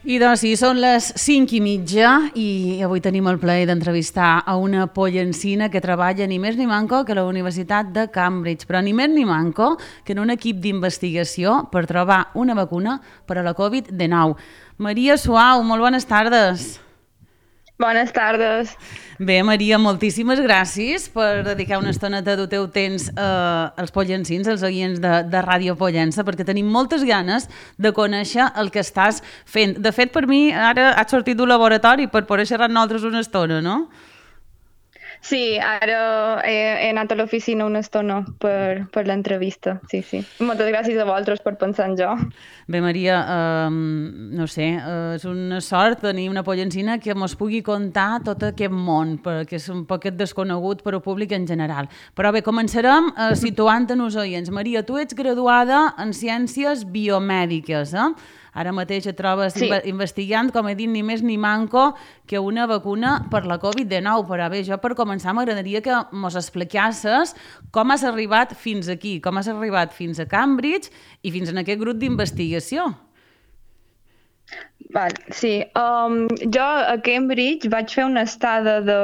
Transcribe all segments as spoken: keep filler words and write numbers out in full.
I doncs sí, són les cinc i mitja i avui tenim el plaer d'entrevistar a una pollencina que treballa ni més ni manco que a la Universitat de Cambridge, però ni més ni manco que en un equip d'investigació per trobar una vacuna per a la covid dinou. Maria Suau, molt bones tardes. Bones tardes. Bé, Maria, moltíssimes gràcies per dedicar una estoneta del teu temps eh, als pollencins, als oients de, de Ràdio Pollença, perquè tenim moltes ganes de conèixer el que estàs fent. De fet, per mi, ara has sortit d'un laboratori per poder xerrar amb nosaltres una estona, no? Sí, ara he, he anat a l'oficina una estona per, per l'entrevista, sí, sí. Moltes gràcies a vosaltres per pensar en jo. Bé, Maria, eh, no sé, eh, és una sort tenir una pollencina que mos pugui contar tot aquest món, perquè és un poquet desconegut per al públic en general. Però bé, començarem eh, situant-nos als oients. Maria, tu ets graduada en Ciències Biomèdiques, eh? Ara mateix et trobes sí. investigant, com he dit, ni més ni manco que una vacuna per la covid dinou. Però bé, jo per començar m'agradaria que mos expliquessis com has arribat fins aquí, com has arribat fins a Cambridge i fins en aquest grup d'investigació. Val, sí, um, jo a Cambridge vaig fer una estada de,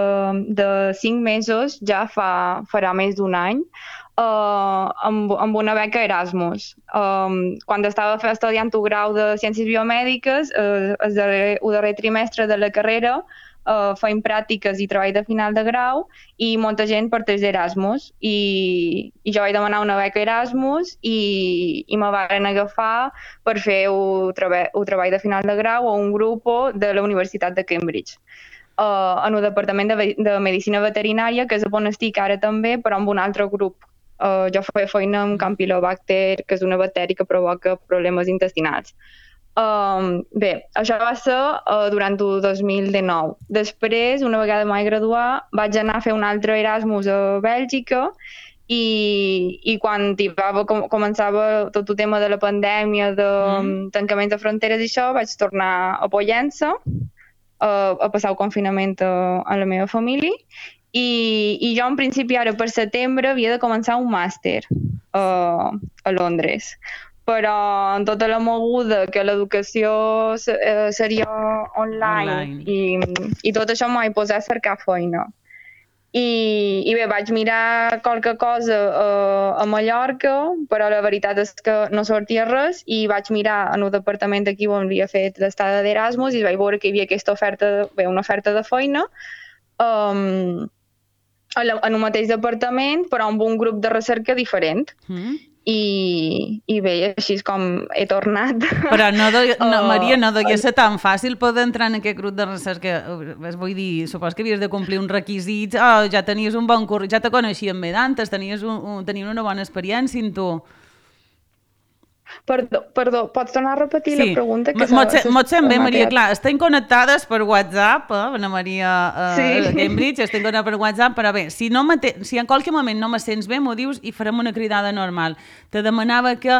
de cinc mesos, ja fa, farà més d'un any, uh, amb, amb una beca Erasmus. Um, quan estava estudiant el grau de Ciències Biomèdiques, uh, el, darrer, el darrer trimestre de la carrera, Uh, feim pràctiques i treball de final de grau i molta gent parteix d'Erasmus i, i jo vaig demanar una beca Erasmus i, i me van agafar per fer el, treba el treball de final de grau a un grup de la Universitat de Cambridge uh, en el Departament de, de Medicina Veterinària, que és on estic ara també, però amb un altre grup. Uh, jo feia feina amb Campylobacter, que és una bactèria que provoca problemes intestinals. Um, bé, això va ser uh, durant el dos mil dinou. Després, una vegada m'he graduat, vaig anar a fer un altre Erasmus a Bèlgica i, i quan va, com, començava tot el tema de la pandèmia, de mm. tancament de fronteres i això, vaig tornar a Pollença uh, a passar el confinament a, a la meva família i, i jo en principi ara per setembre havia de començar un màster uh, a Londres. Però en tota la moguda que l'educació eh, seria online, online. I, i tot això m'ho vaig posar a cercar feina. I, i bé, vaig mirar qualque cosa eh, a Mallorca, però la veritat és que no sortia res i vaig mirar en el departament d'aquí on havia fet l'estada d'Erasmus i vaig veure que hi havia aquesta oferta, bé, una oferta de feina um, en el mateix departament, però amb un grup de recerca diferent. Mm. I, i bé, així és com he tornat. Però no, de, no Maria, no devia ser tan fàcil poder entrar en aquest grup de recerca. Vull dir, supos que havies de complir uns requisits, oh, ja tenies un bon currículum, ja te coneixien bé d'antes, tenies, un, un, tenies una bona experiència en tu. Perdó, perdó, pots tornar a repetir sí. la pregunta? Que Mot sent bé, Maria, clar, estem connectades per WhatsApp, eh, Ana Maria eh, sí. Cambridge, estem connectades per WhatsApp, però bé, si, no si en qualque moment no me sents bé, m'ho dius i farem una cridada normal. Te demanava que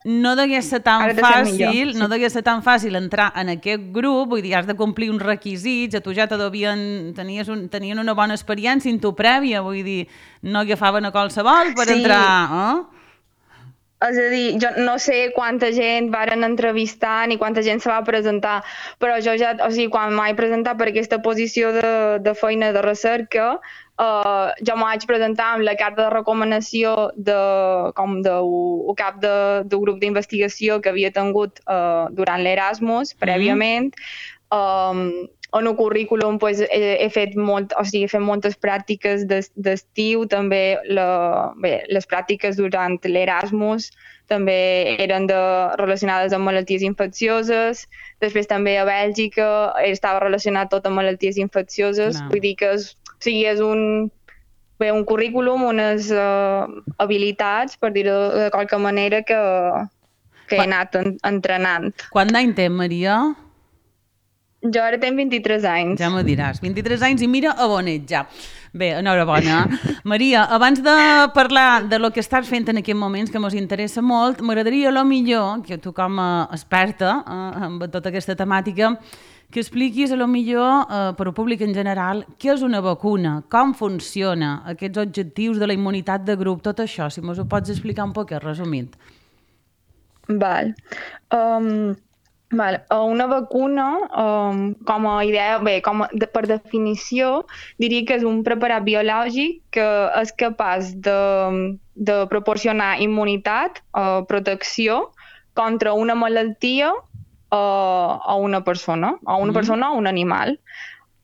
no degués ser tan fàcil, sí. no degués ser tan fàcil entrar en aquest grup, vull dir, has de complir uns requisits, a tu ja te devien, tenies un, tenien una bona experiència en tu prèvia, vull dir, no agafaven a qualsevol per sí. entrar, eh? És a dir, jo no sé quanta gent varen entrevistar ni quanta gent se va presentar, però jo ja, o sigui, quan m'he presentat per aquesta posició de, de feina de recerca, uh, jo m'ho vaig presentar amb la carta de recomanació de, com de, el cap de, del grup d'investigació que havia tingut uh, durant l'Erasmus, prèviament. Mm-hmm. Um, en el currículum pues, he, he, fet molt, o sigui, he fet moltes pràctiques d'estiu, també la, bé, les pràctiques durant l'Erasmus també eren de, relacionades amb malalties infeccioses, després també a Bèlgica estava relacionat tot amb malalties infeccioses, no. Vull dir que és, o sigui, és un, bé, un currículum, unes uh, habilitats, per dir-ho de qualque manera, que, que he anat en, entrenant. Quant d'any té, Maria? Jo ara tenc vint-i-tres anys. Ja m'ho diràs, vint-i-tres anys i mira a on ets ja. Bé, enhorabona. Maria, abans de parlar de lo que estàs fent en aquests moments, que ens interessa molt, m'agradaria a lo millor, que tu com a experta eh, en tota aquesta temàtica, que expliquis a lo millor eh, per al públic en general què és una vacuna, com funciona, aquests objectius de la immunitat de grup, tot això, si mos ho pots explicar un poc resumit. Val. Um... Vale. Una vacuna, um, com a idea, bé, com a, de, per definició, diria que és un preparat biològic que és capaç de, de proporcionar immunitat o protecció contra una malaltia o, o una persona, o una Mm? persona o un animal.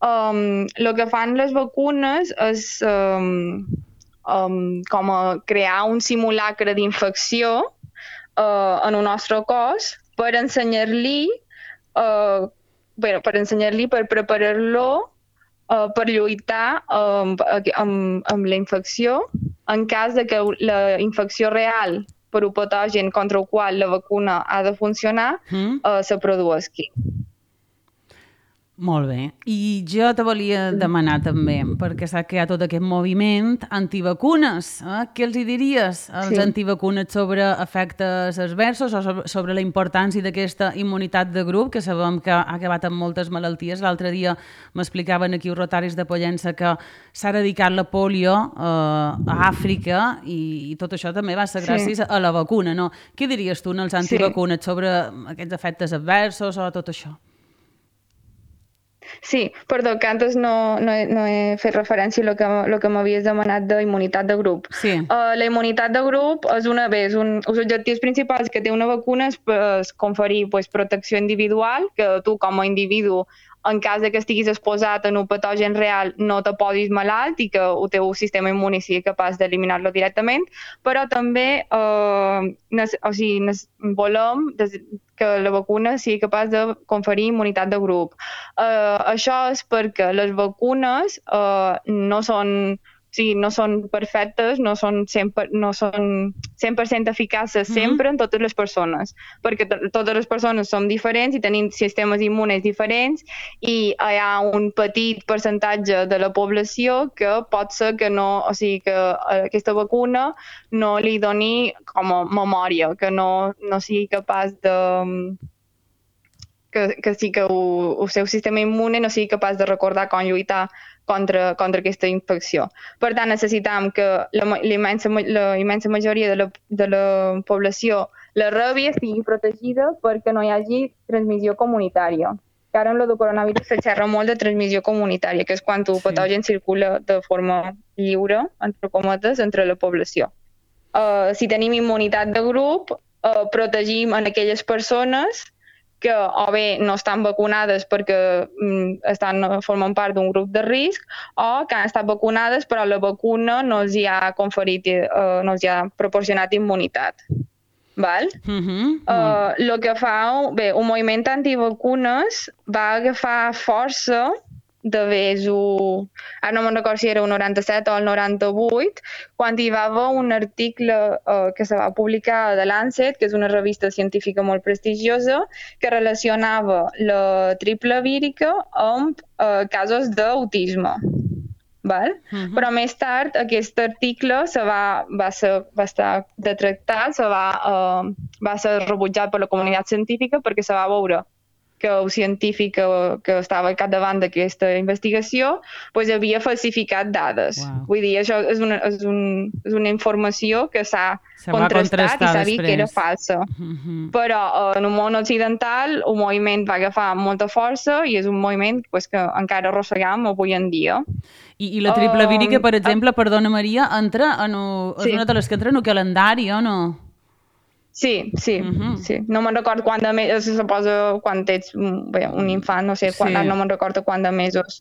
Um, el que fan les vacunes és um, um, com a crear un simulacre d'infecció uh, en el nostre cos per ensenyar-li uh, bueno, per ensenyar-li, per preparar-lo uh, per lluitar amb, amb, amb la infecció en cas de que la infecció real per un patogen contra el qual la vacuna ha de funcionar Mm? uh, se produeixi. Molt bé. I jo te volia demanar també, perquè saps que hi ha tot aquest moviment antivacunes. Eh? Què els hi diries als Sí. antivacunes sobre efectes adversos o sobre, sobre la importància d'aquesta immunitat de grup, que sabem que ha acabat amb moltes malalties. L'altre dia m'explicaven aquí els rotaris de Pollença que s'ha eradicat la polio eh, a Àfrica i, i tot això també va ser gràcies Sí. a la vacuna, no? Què diries tu als Sí. antivacunes sobre aquests efectes adversos o tot això? Sí, perdó, que antes no, no, he, no he fet referència a lo que, lo que m'havies demanat d'immunitat de grup. Sí. Uh, la immunitat de grup és una vez, un, els objectius principals que té una vacuna és, és conferir pues, protecció individual, que tu com a individu, en cas de que estiguis exposat en un patogen real, no te posis malalt i que el teu sistema immuni sigui capaç d'eliminar-lo directament, però també uh, nes, o sigui, nes, volem des, que la vacuna sigui capaç de conferir immunitat de grup. Uh, això és perquè les vacunes uh, no són, o sigui, no són perfectes, no són cent per cent, no són cent per cent eficaces sempre en totes les persones, perquè totes les persones som diferents i tenim sistemes immunes diferents i hi ha un petit percentatge de la població que pot ser que no, o sigui, que aquesta vacuna no li doni com a memòria, que no, no sigui capaç de que, que sí que el, el seu sistema immune no sigui capaç de recordar com lluitar contra, contra aquesta infecció. Per tant, necessitam que la, la, immensa, la immensa majoria de la, de la població la rebi estigui protegida perquè no hi hagi transmissió comunitària. Que ara amb el coronavirus se xerra molt de transmissió comunitària, que és quan el Sí. patogen circula de forma lliure, entre cometes, entre la població. Uh, si tenim immunitat de grup, uh, protegim en aquelles persones que o bé no estan vacunades perquè mm, estan, formen part d'un grup de risc o que han estat vacunades però la vacuna no els hi ha conferit, eh, no els hi ha proporcionat immunitat. Val? Mm-hmm. Uh, el que fa, bé, un moviment antivacunes va agafar força de vés, ara no me'n recordo si era el noranta-set o el noranta-vuit, quan hi va haver un article uh, que se va publicar de Lancet, que és una revista científica molt prestigiosa, que relacionava la triple vírica amb uh, casos d'autisme. Val? Uh-huh. Però més tard aquest article se va, va, ser, va estar detractat, se va, uh, va ser rebutjat per la comunitat científica perquè se va veure que el científic que, que estava al capdavant d'aquesta investigació pues, havia falsificat dades. Wow. Vull dir, això és una, és un, és una informació que s'ha contrastat i s'ha vist que era falsa. Uh-huh. Però uh, en un món occidental el moviment va agafar molta força i és un moviment pues, que encara arrosseguem avui en dia. I, i la triple vírica, per exemple, uh, perdona Maria, entra en un, sí. és una de les que entra en el calendari, o no? Sí, sí, uh-huh. sí. No me'n recordo quant de mesos, se posa quan ets bé, un infant, no sé, quan, sí. no me'n recordo quant de mesos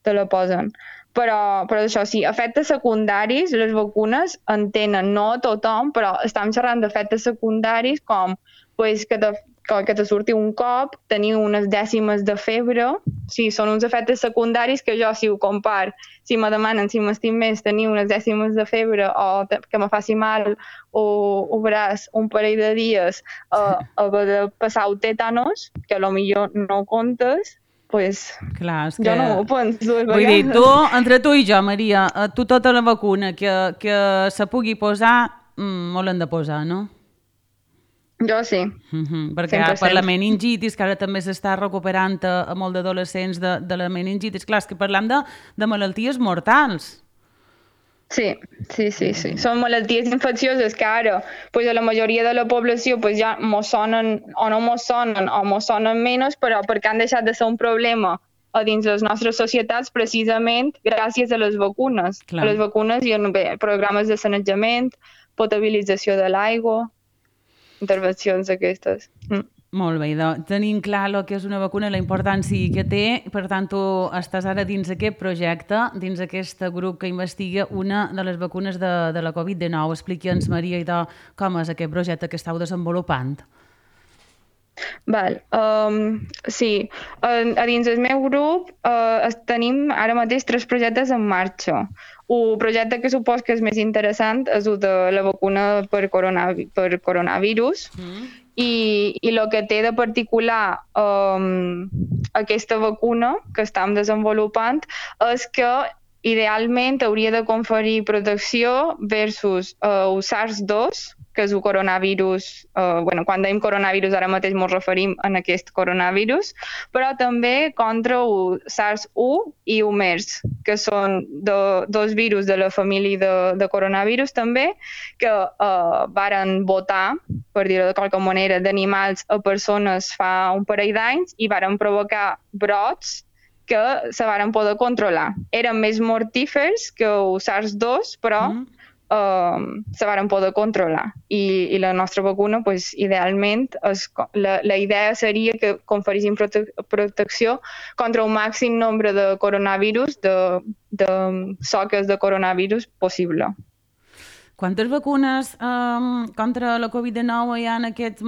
te la posen. Però, però això sí, efectes secundaris, les vacunes en tenen, no tothom, però estem xerrant d'efectes secundaris com pues, que, te, que te surti un cop, tenir unes dècimes de febre, sí, són uns efectes secundaris que jo, si ho compar, si me demanen si m'estim més tenir unes dècimes de febre o que me faci mal o, o braç un parell de dies a, a haver de passar el tetanos, que potser no comptes, pues, clar, és que... jo no ho penso. Vull dir, tu, entre tu i jo, Maria, tu tota la vacuna que, que se pugui posar, mmm, molt l'hem de posar, no? Jo sí. Mm-hmm, perquè cent per cent. Per la meningitis, que ara també s'està recuperant a, a molt d'adolescents de, de la meningitis, clar, és que parlam de, de malalties mortals. Sí, sí, sí, sí. Són malalties infeccioses que ara pues, a la majoria de la població pues, ja mos sonen o no mos sonen o mos sonen menys, però perquè han deixat de ser un problema a dins les nostres societats precisament gràcies a les vacunes. A Clar. les vacunes i a bé, programes de sanejament, potabilització de l'aigua, intervencions d'aquestes. Mm. Molt bé, doncs tenim clar el que és una vacuna, la importància que té, per tant tu estàs ara dins aquest projecte, dins aquest grup que investiga una de les vacunes de, de la covid dinou. Expliqui'ns, Maria, idò, com és aquest projecte que estàu desenvolupant. Val. Um, sí, a, a dins del meu grup uh, tenim ara mateix tres projectes en marxa. Un projecte que supos que és més interessant és el de la vacuna per, coronavi per coronavirus mm. i, i el que té de particular um, aquesta vacuna que estem desenvolupant és que idealment hauria de conferir protecció versus uh, el SARS dos, que és el coronavirus, eh, bueno, quan dèiem coronavirus ara mateix ens referim a aquest coronavirus, però també contra el SARS u i el MERS, que són do, dos virus de la família de, de coronavirus també, que eh, varen votar, per dir-ho de qualque manera, d'animals a persones fa un parell d'anys i varen provocar brots que se varen poder controlar. Eren més mortífers que el SARS dos, però mm. Uh, se varen poder controlar I, i la nostra vacuna pues, idealment és, la, la idea seria que conferissin prote protecció contra un màxim nombre de coronavirus, de, de soques de coronavirus possible. Quantes vacunes um, contra la covid dinou hi ha en aquest...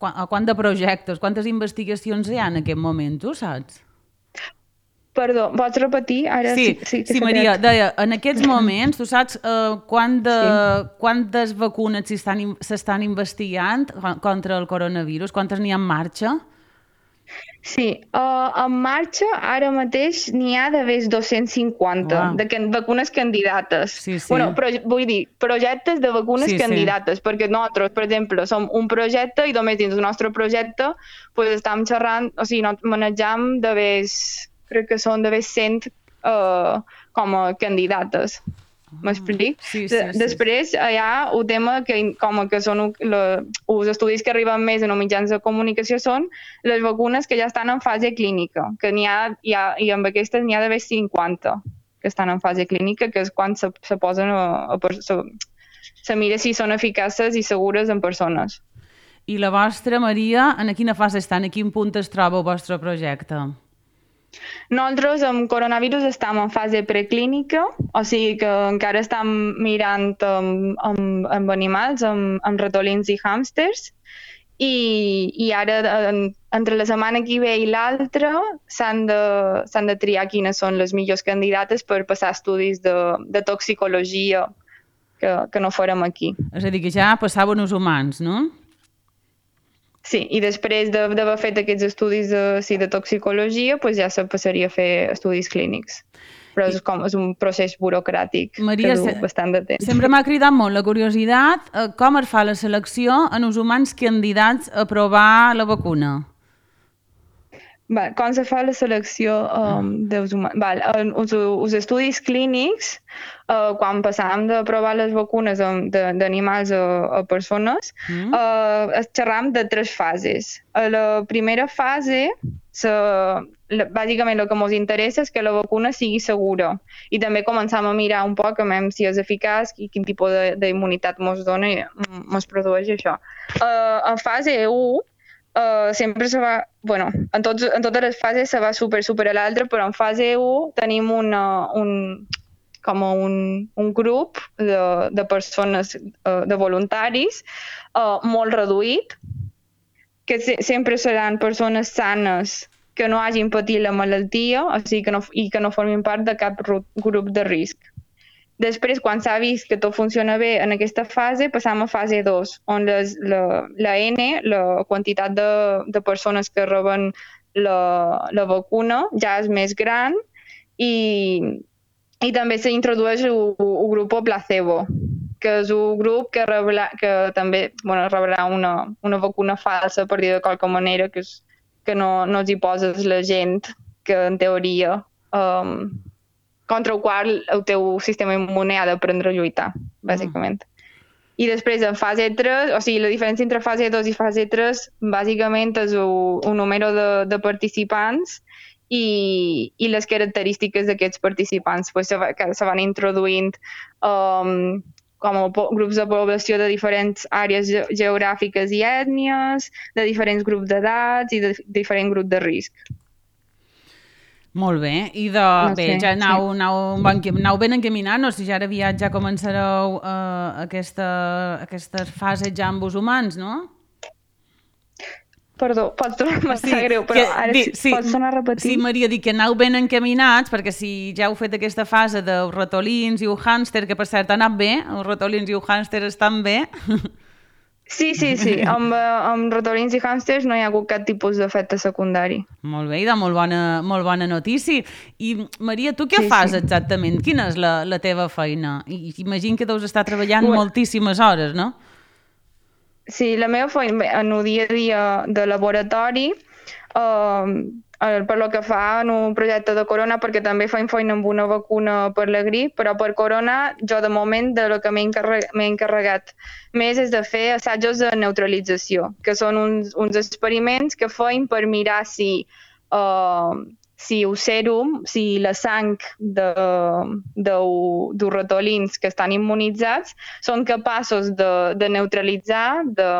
Quant de projectes, quantes investigacions hi ha en aquest moment, tu saps? Perdó, pots repetir? Ara sí, sí, sí, sí Maria, deia, en aquests moments, tu saps uh, quant de, sí. quantes vacunes s'estan investigant contra el coronavirus? Quantes n'hi ha en marxa? Sí, uh, en marxa ara mateix n'hi ha d'haver dos-cents cinquanta wow. de can vacunes candidates. Sí, sí. Bueno, però, vull dir, projectes de vacunes sí, candidates, sí. perquè nosaltres, per exemple, som un projecte i només dins del nostre projecte pues, estem xerrant, o sigui, no, manejam d'haver... crec que són d'haver cent uh, com a candidates. M'explic? Sí, sí, sí. Després hi ha un tema que, com que són la, els estudis que arriben més en els mitjans de comunicació són les vacunes que ja estan en fase clínica, que n'hi ha, hi ha, i amb aquestes n'hi ha d'haver cinquanta que estan en fase clínica, que és quan se, se posen a, a, a se, se mira si són eficaces i segures en persones. I la vostra, Maria, en quina fase està? En quin punt es troba el vostre projecte? Nosaltres amb coronavirus estem en fase preclínica, o sigui que encara estem mirant amb, amb, amb animals, amb, amb ratolins i hàmsters, i, i ara en, entre la setmana que ve i l'altra s'han de, s'han de triar quines són les millors candidates per passar estudis de, de toxicologia que, que no farem aquí. És a dir, que ja passaven els humans, no? Sí, i després d'haver fet aquests estudis de, sí, de toxicologia, pues ja se passaria a fer estudis clínics. Però és, com, és un procés burocràtic Maria, que du bastant de temps. Sempre m'ha cridat molt la curiositat eh, com es fa la selecció en els humans candidats a provar la vacuna. Val, com se fa la selecció um, dels humans? Val, els, els estudis clínics, uh, quan passàvem de provar les vacunes d'animals a, a persones, mm. uh, es xerram de tres fases. A la primera fase, se, la, bàsicament el que ens interessa és que la vacuna sigui segura i també començam a mirar un poc a veure si és eficaç i quin tipus d'immunitat ens dona i ens produeix això. Uh, en fase u, Uh, sempre se va, bueno, en, tots, en totes les fases se va super, super a l'altre, però en fase u tenim una, un, com un, un grup de, de persones, uh, de voluntaris, uh, molt reduït, que se, sempre seran persones sanes que no hagin patit la malaltia, o sigui que no, i que no formin part de cap grup de risc. Després, quan s'ha vist que tot funciona bé en aquesta fase, passam a fase dos, on les, la, la N, la quantitat de, de persones que reben la, la vacuna, ja és més gran i, i també s'introdueix el grup placebo, que és un grup que, rebrà, que també bueno, rebrà una, una vacuna falsa, per dir de qualque manera, que, és, que no, no els hi poses la gent que en teoria... Um, contra el qual el teu sistema immune ha d'aprendre a lluitar, bàsicament. Mm. I després en fase tres, o sigui, la diferència entre fase dos i fase tres bàsicament és un, un número de, de participants i, i les característiques d'aquests participants. Pues se, va, que se van introduint um, com a grups de població de diferents àrees ge geogràfiques i ètnies, de diferents grups d'edats i de, de diferents grups de risc. Molt bé, i de, no bé, sé, ja anau, sí. anau, anau ben encaminant, o sigui, ja ara aviat ja començareu uh, aquesta, aquesta fase ja amb els humans, no? Perdó, pots tornar-me sí, greu, però que, ara di, sí, pots tornar a repetir? Sí, Maria, dic que anau ben encaminats, perquè si ja heu fet aquesta fase dels ratolins i el hàmster, que per cert ha anat bé, els ratolins i el hàmster estan bé... Sí, sí, sí. Amb, amb ratolins i hàmsters no hi ha hagut cap tipus d'efecte secundari. Molt bé, i de molt bona, molt bona notícia. I, Maria, tu què sí, fas sí. exactament? Quina és la, la teva feina? I, imagino que deus estar treballant bueno, moltíssimes hores, no? Sí, la meva feina, en el dia a dia de laboratori, eh, per lo que fa en un projecte de corona, perquè també faig feina amb una vacuna per la grip, però per corona jo de moment de lo que m'he encarregat, encarregat més és de fer assajos de neutralització, que són uns, uns experiments que feim per mirar si, uh, si el sèrum, si la sang de, de, de ratolins que estan immunitzats són capaços de, de neutralitzar, de,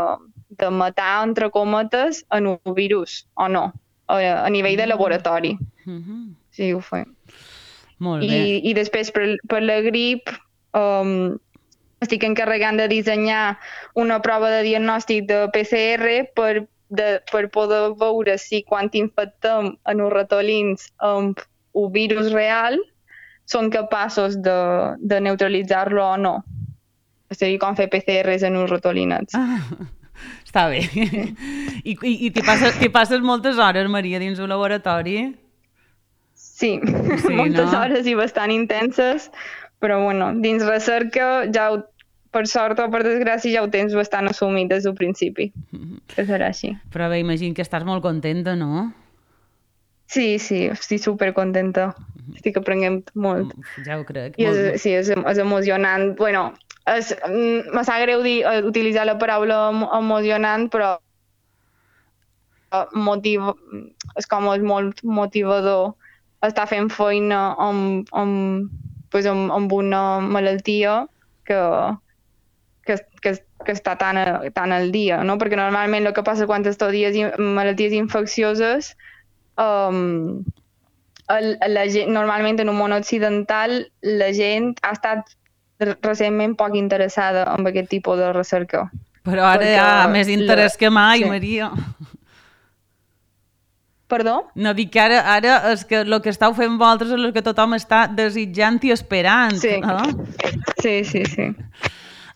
de matar, entre cometes, en un virus o no. A nivell de laboratori. Uh-huh. Sí, ho fem. Molt bé. I, i després per, per la grip um, estic encarregant de dissenyar una prova de diagnòstic de P C R per, de, per poder veure si quan infectem en els ratolins amb un virus real són capaços de, de neutralitzar-lo o no. És a dir, com fer P C Rs en uns ratolinets. Ah. Està bé. I, i, i t'hi passes, passes moltes hores, Maria, dins un laboratori? Sí, sí moltes no? hores i bastant intenses, però bueno, dins recerca ja ho, per sort o per desgràcia ja ho tens bastant assumit des del principi, que serà així. Però bé, imagino que estàs molt contenta, no? Sí, sí, estic supercontenta. Estic aprenent molt. Ja ho crec. I és, molt... sí, és, és emocionant. Bueno, és, me sap greu dir, utilitzar la paraula emocionant, però motiv, és com és molt motivador estar fent feina amb, amb, pues amb, amb una malaltia que, que, que, que està tan, a, tan al dia, no? Perquè normalment el que passa quan estudies malalties infeccioses, um, el, la gent, normalment en un món occidental la gent ha estat recentment poc interessada en aquest tipus de recerca. Però ara hi ha més interès la... que mai, sí. Maria. Perdó? No, dic que ara, ara és que el que estàu fent vosaltres és el que tothom està desitjant i esperant. Sí, eh? sí, sí, sí.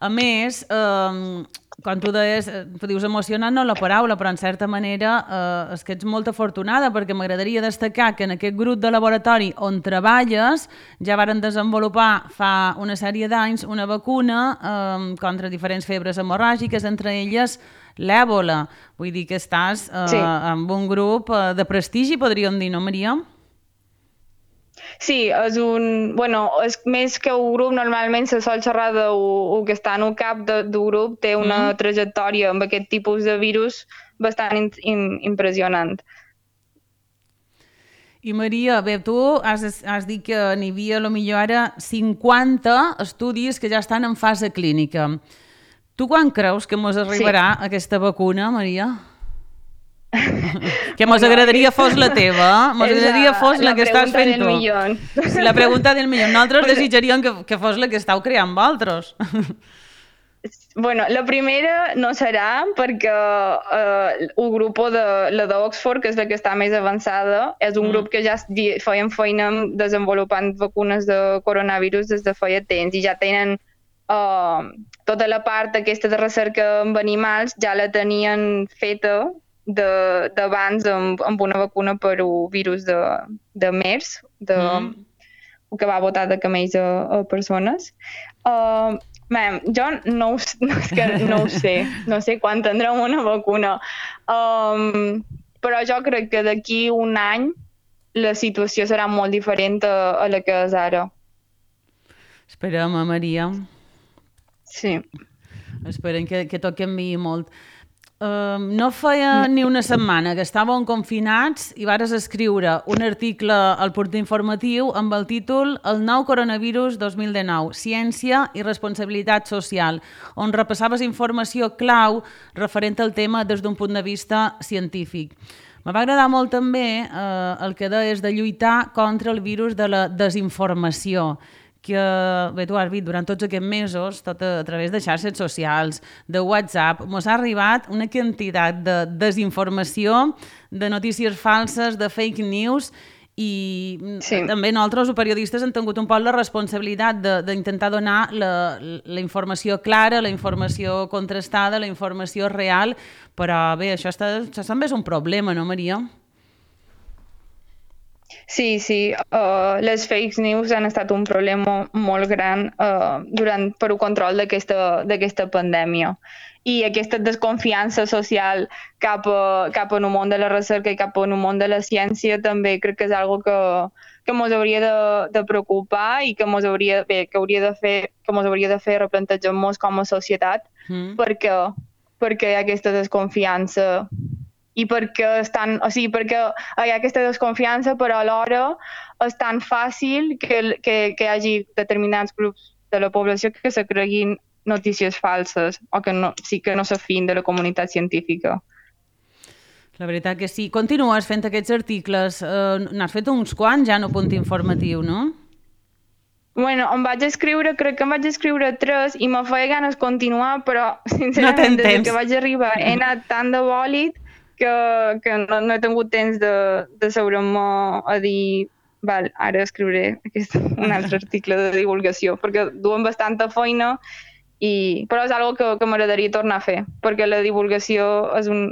A més, eh, quan tu deies, tu dius emocionant no la paraula, però en certa manera eh, és que ets molt afortunada, perquè m'agradaria destacar que en aquest grup de laboratori on treballes ja varen desenvolupar fa una sèrie d'anys una vacuna eh, contra diferents febres hemorràgiques, entre elles l'èbola. Vull dir que estàs eh, sí. amb un grup eh, de prestigi, podríem dir, no, Maria? Sí, és un... Bueno, és més que un grup, normalment se sol xerrar del que està en el cap del grup, té una mm. trajectòria amb aquest tipus de virus bastant in, in, impressionant. I Maria, bé, tu has, has dit que n'hi havia potser ara cinquanta estudis que ja estan en fase clínica. Tu quan creus que mos arribarà sí. aquesta vacuna, Maria? Que mos agradaria fos la teva, mos agradaria fos la, la que estàs fent tu. Sí, la pregunta del milió. Nosaltres desitjaríem que, que fos la que estàu creant vosaltres. Bueno, la primera no serà perquè eh, el grup de la d'Oxford, que és la que està més avançada, és un mm. grup que ja feien feina desenvolupant vacunes de coronavirus des de feia temps i ja tenen eh, tota la part aquesta de recerca amb animals, ja la tenien feta d'abans amb, amb una vacuna per un virus de, de MERS, de, mm. que va botar de camells a, a persones. Uh, man, jo no, no, és que no ho sé, no sé quan tindrem una vacuna, um, però jo crec que d'aquí un any la situació serà molt diferent a, a la que és ara. Esperem, eh, Maria. Sí. Esperem que, que tot canviï molt. Uh, no feia ni una setmana que estàvem confinats i vares escriure un article al portal informatiu amb el títol El nou coronavirus dos mil dinou, ciència i responsabilitat social, on repassaves informació clau referent al tema des d'un punt de vista científic. Me va agradar molt també eh, el que deies de lluitar contra el virus de la desinformació, que, bé, tu has vist, durant tots aquests mesos, tot a, a través de xarxes socials, de WhatsApp, ens ha arribat una quantitat de desinformació, de notícies falses, de fake news, i sí. també nosaltres, els periodistes, hem tingut un poc la responsabilitat d'intentar donar la, la informació clara, la informació contrastada, la informació real, però bé, això, està, això també és un problema, no, Maria? Sí, sí, uh, les fake news han estat un problema molt gran uh, durant per al control d'aquesta pandèmia. I aquesta desconfiança social cap a, cap a un món de la recerca i cap a un món de la ciència també crec que és algo que, que ens hauria de, de preocupar i que ens hauria, bé, que hauria de fer, que ens hauria de fer replantejar-nos com a societat, mm. perquè, perquè hi ha aquesta desconfiança i perquè, estan, o sigui, perquè hi ha aquesta desconfiança, però alhora és tan fàcil que, que, que hi hagi determinats grups de la població que se creguin notícies falses o que no, sí que no s'afin de la comunitat científica. La veritat que sí. Continues fent aquests articles. Uh, N'has fet uns quants ja en el punt informatiu, no? Bueno, em vaig escriure, crec que em vaig escriure tres i me feia ganes continuar, però sincerament no des que vaig arribar he anat tan de bòlit que, que no, no he tingut temps de, de seure'm a dir val, ara escriuré aquest, un altre article de divulgació, perquè duen bastanta feina, i, però és una que, que m'agradaria tornar a fer, perquè la divulgació és un...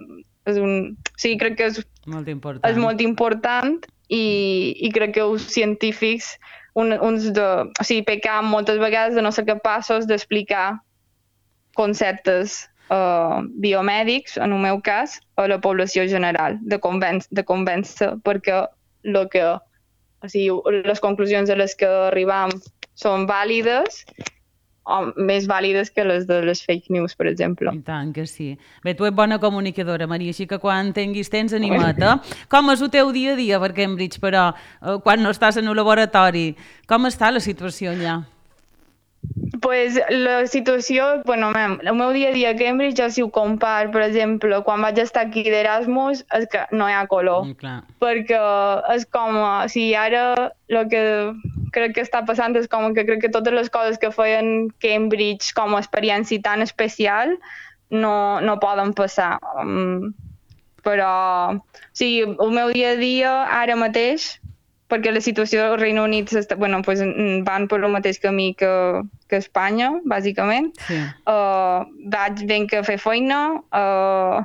És un sí, crec que és molt important, és molt important i, i crec que els científics un, uns de, o sigui, pecam moltes vegades de no ser capaços d'explicar conceptes Uh, biomèdics, en el meu cas, a la població general, de, convenç, de convèncer, perquè lo que, o sigui, les conclusions a les que arribam són vàlides, o més vàlides que les de les fake news, per exemple. I tant que sí. Bé, tu ets bona comunicadora, Maria, així que quan tinguis temps, anima't, eh? Com és el teu dia a dia per Cambridge, però, quan no estàs en el laboratori? Com està la situació allà? Pues la situació, bueno, el meu dia a dia a Cambridge, jo si ho compar, per exemple, quan vaig estar aquí d'Erasmus, és que no hi ha color. Mm, clar. Perquè és com, o sigui, ara el que crec que està passant és com que crec que totes les coses que feien Cambridge com a experiència tan especial no, no poden passar. Um, però, o sigui, el meu dia a dia, ara mateix, perquè la situació al Regne Unit bueno, pues, van per el mateix camí que, que Espanya, bàsicament. Sí. Uh, vaig ben que fer feina uh,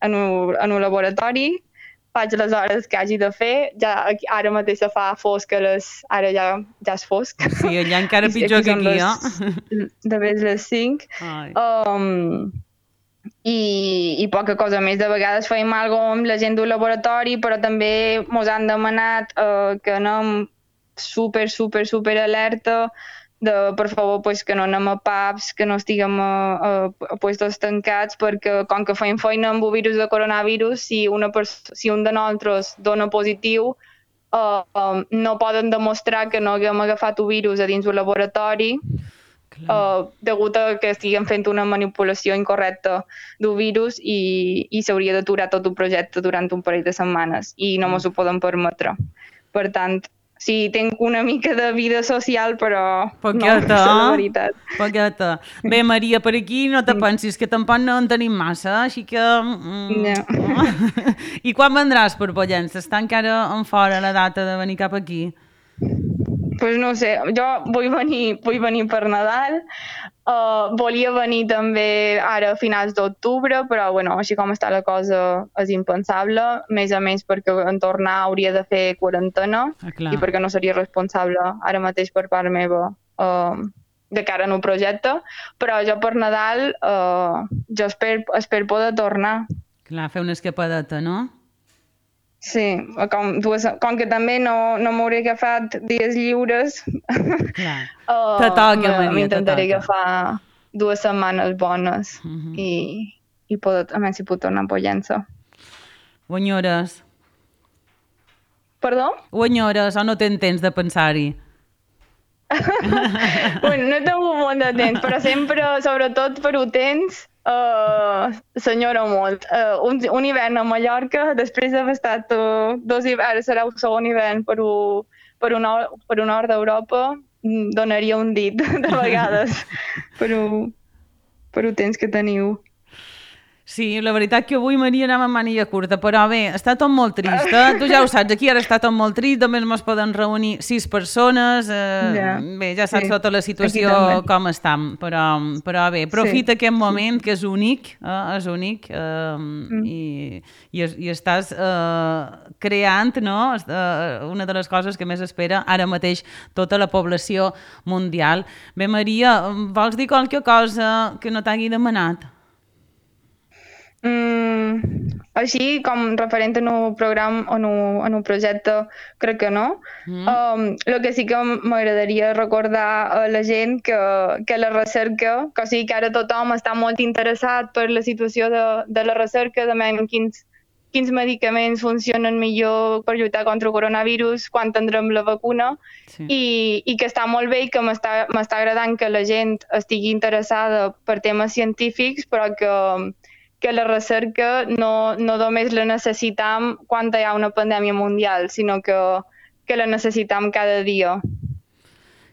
en, un, en un laboratori, faig les hores que hagi de fer, ja ara mateix se fa fosc, les, ara ja, ja és fosc. Sí, allà encara pitjor que aquí, eh? De vegades les cinc. Um, I, i poca cosa més. De vegades feim alguna amb la gent del laboratori, però també ens han demanat uh, que anem super, super, super alerta de, per favor, pues, que no anem a pubs, que no estiguem a, a, a puestos tancats, perquè com que feim feina amb el virus de coronavirus, si, una si un de nosaltres dona positiu, uh, um, no poden demostrar que no haguem agafat el virus a dins del laboratori, Uh, degut a que estiguem fent una manipulació incorrecta del virus i, i s'hauria d'aturar tot el projecte durant un parell de setmanes i no mos ho poden permetre. Per tant, sí, tinc una mica de vida social, però poqueta, no, és la veritat. Poqueta. Bé, Maria, per aquí no te pensis, que tampoc no en tenim massa, així que... Mm, no. I quan vendràs per Pollença? Està encara en fora la data de venir cap aquí? Pues no sé, jo vull venir, vull venir per Nadal, uh, volia venir també ara a finals d'octubre, però bueno, així com està la cosa és impensable, més a més perquè en tornar hauria de fer quarantena ah, i perquè no seria responsable ara mateix per part meva uh, de cara en un projecte, però jo per Nadal uh, jo espero, espero poder tornar. Clar, fer una escapadeta, no? Sí, com, dues, com que també no, no m'hauré agafat dies lliures, Clar. uh, Te toca, Maria, te m'intentaré toca. agafar dues setmanes bones Uh -huh. i, i poder, a més si puc tornar a Pollença. Ho enyores? Perdó? Ho enyores o no tens temps de pensar-hi? Bueno, no he tingut molt de temps, però sempre, sobretot per ho temps, uh, s'enyora molt. Uh, un, un hivern a Mallorca, després d'haver estat uh, dos hiverns, serà el segon hivern per, un, per, un, nord, per un nord d'Europa, donaria un dit de vegades per un, per un temps que teniu. Sí, la veritat que avui, Maria, anem amb màniga curta, però bé, està tot molt trist, eh? Tu ja ho saps, aquí ara està tot molt trist, només ens poden reunir sis persones, eh, ja. bé, ja saps Sí. tota la situació com estem, però, però bé, aprofita sí. aquest moment que és únic, eh? És únic, eh, mm. i, i, i estàs eh, creant, no?, eh, una de les coses que més espera ara mateix tota la població mundial. Bé, Maria, vols dir qualque cosa que no t'hagi demanat? Mm, així com referent a un programa o en un, en un projecte, crec que no. Mm. Um, el que sí que m'agradaria recordar a la gent que, que la recerca, que o sigui que ara tothom està molt interessat per la situació de, de la recerca, de men, quins, quins medicaments funcionen millor per lluitar contra el coronavirus, quan tindrem la vacuna, sí. i, i que està molt bé i que m'està m'està agradant que la gent estigui interessada per temes científics, però que que la recerca no, no només la necessitam quan hi ha una pandèmia mundial, sinó que, que la necessitam cada dia.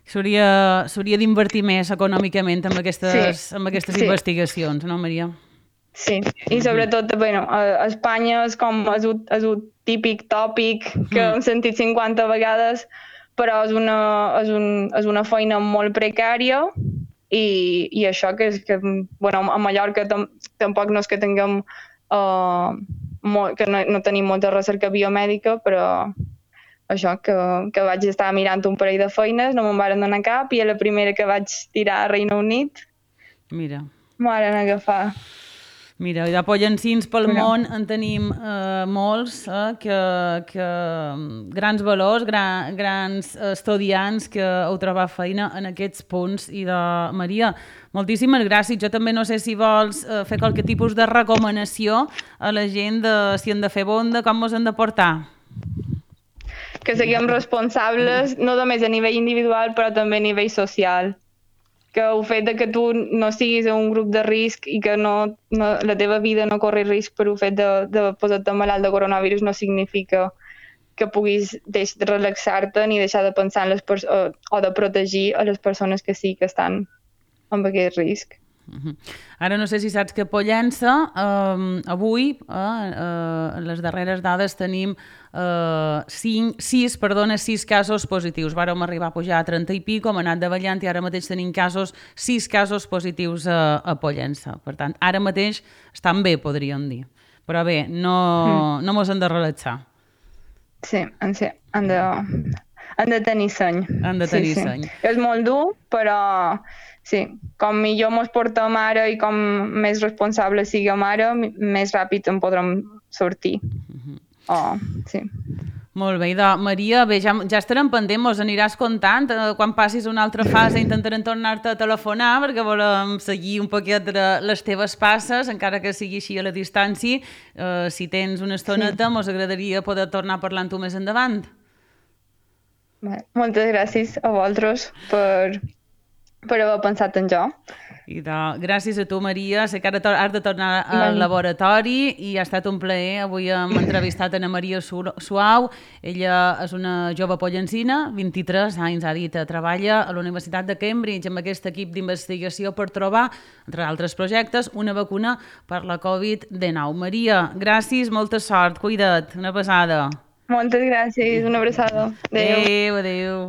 S'hauria d'invertir més econòmicament en aquestes, sí. en aquestes sí. investigacions, no, Maria? Sí, i sobretot, bueno, a Espanya és com és un, és un típic tòpic que mm. hem sentit cinquanta vegades, però és una, és un, és una feina molt precària. I, i això que és que, bueno, a Mallorca tam, tampoc no és que tinguem uh, molt, que no, no tenim molta recerca biomèdica, però això, que, que vaig estar mirant un parell de feines, no me'n varen donar cap, i a la primera que vaig tirar a Regne Unit Mira. m'ho varen agafar. Mira, de pollancins pel Mira. món en tenim eh, molts, eh, que, que grans valors, gran, grans estudiants que heu trobat feina en aquests punts. I de Maria, moltíssimes gràcies. Jo també no sé si vols eh, fer qualque tipus de recomanació a la gent de si han de fer bonda, com ens han de portar. Que siguem responsables, no només a nivell individual, però també a nivell social. Que el fet de que tu no siguis en un grup de risc i que no, no, la teva vida no corri risc per el fet de, de posar-te malalt de coronavirus no significa que puguis deixar de relaxar-te ni deixar de pensar en les pers- o, o de protegir a les persones que sí que estan amb aquest risc. Uh-huh. Ara no sé si saps que a Pollença eh, avui, eh, eh, en les darreres dades, tenim eh, cinc, sis, perdona, sis casos positius. Vàrem arribar a pujar a trenta i pico, hem anat davallant i ara mateix tenim casos, sis casos positius a, a Pollença. Per tant, ara mateix estan bé, podríem dir. Però bé, no, mm. no mos hem de relaxar. Sí, sí, han de, han de tenir seny. Han de tenir sí, sí. seny. És molt dur, però sí, com millor mos portem ara i com més responsables siguem ara, més ràpid en podrem sortir. Uh-huh. Oh, sí. Molt bé, idò. Maria, bé, ja, ja estarem pendent, mos aniràs contant. Eh, quan passis una altra fase intentarem tornar-te a telefonar perquè volem seguir un poquet de les teves passes, encara que sigui així a la distància. Eh, si tens una estoneta, sí. Mos agradaria poder tornar a parlar amb tu més endavant. Bé, moltes gràcies a vosaltres per... per haver pensat en jo. I de, gràcies a tu, Maria. Sé que ara has de tornar al laboratori i ha estat un plaer. Avui hem entrevistat Ana Maria Suau. Ella és una jove pollancina, vint-i-tres anys, ha dit, treballa a la Universitat de Cambridge amb aquest equip d'investigació per trobar, entre altres projectes, una vacuna per la covid dinou. Maria, gràcies, molta sort, cuida't, una besada. Moltes gràcies, una abraçada. Adéu. Adéu, adéu.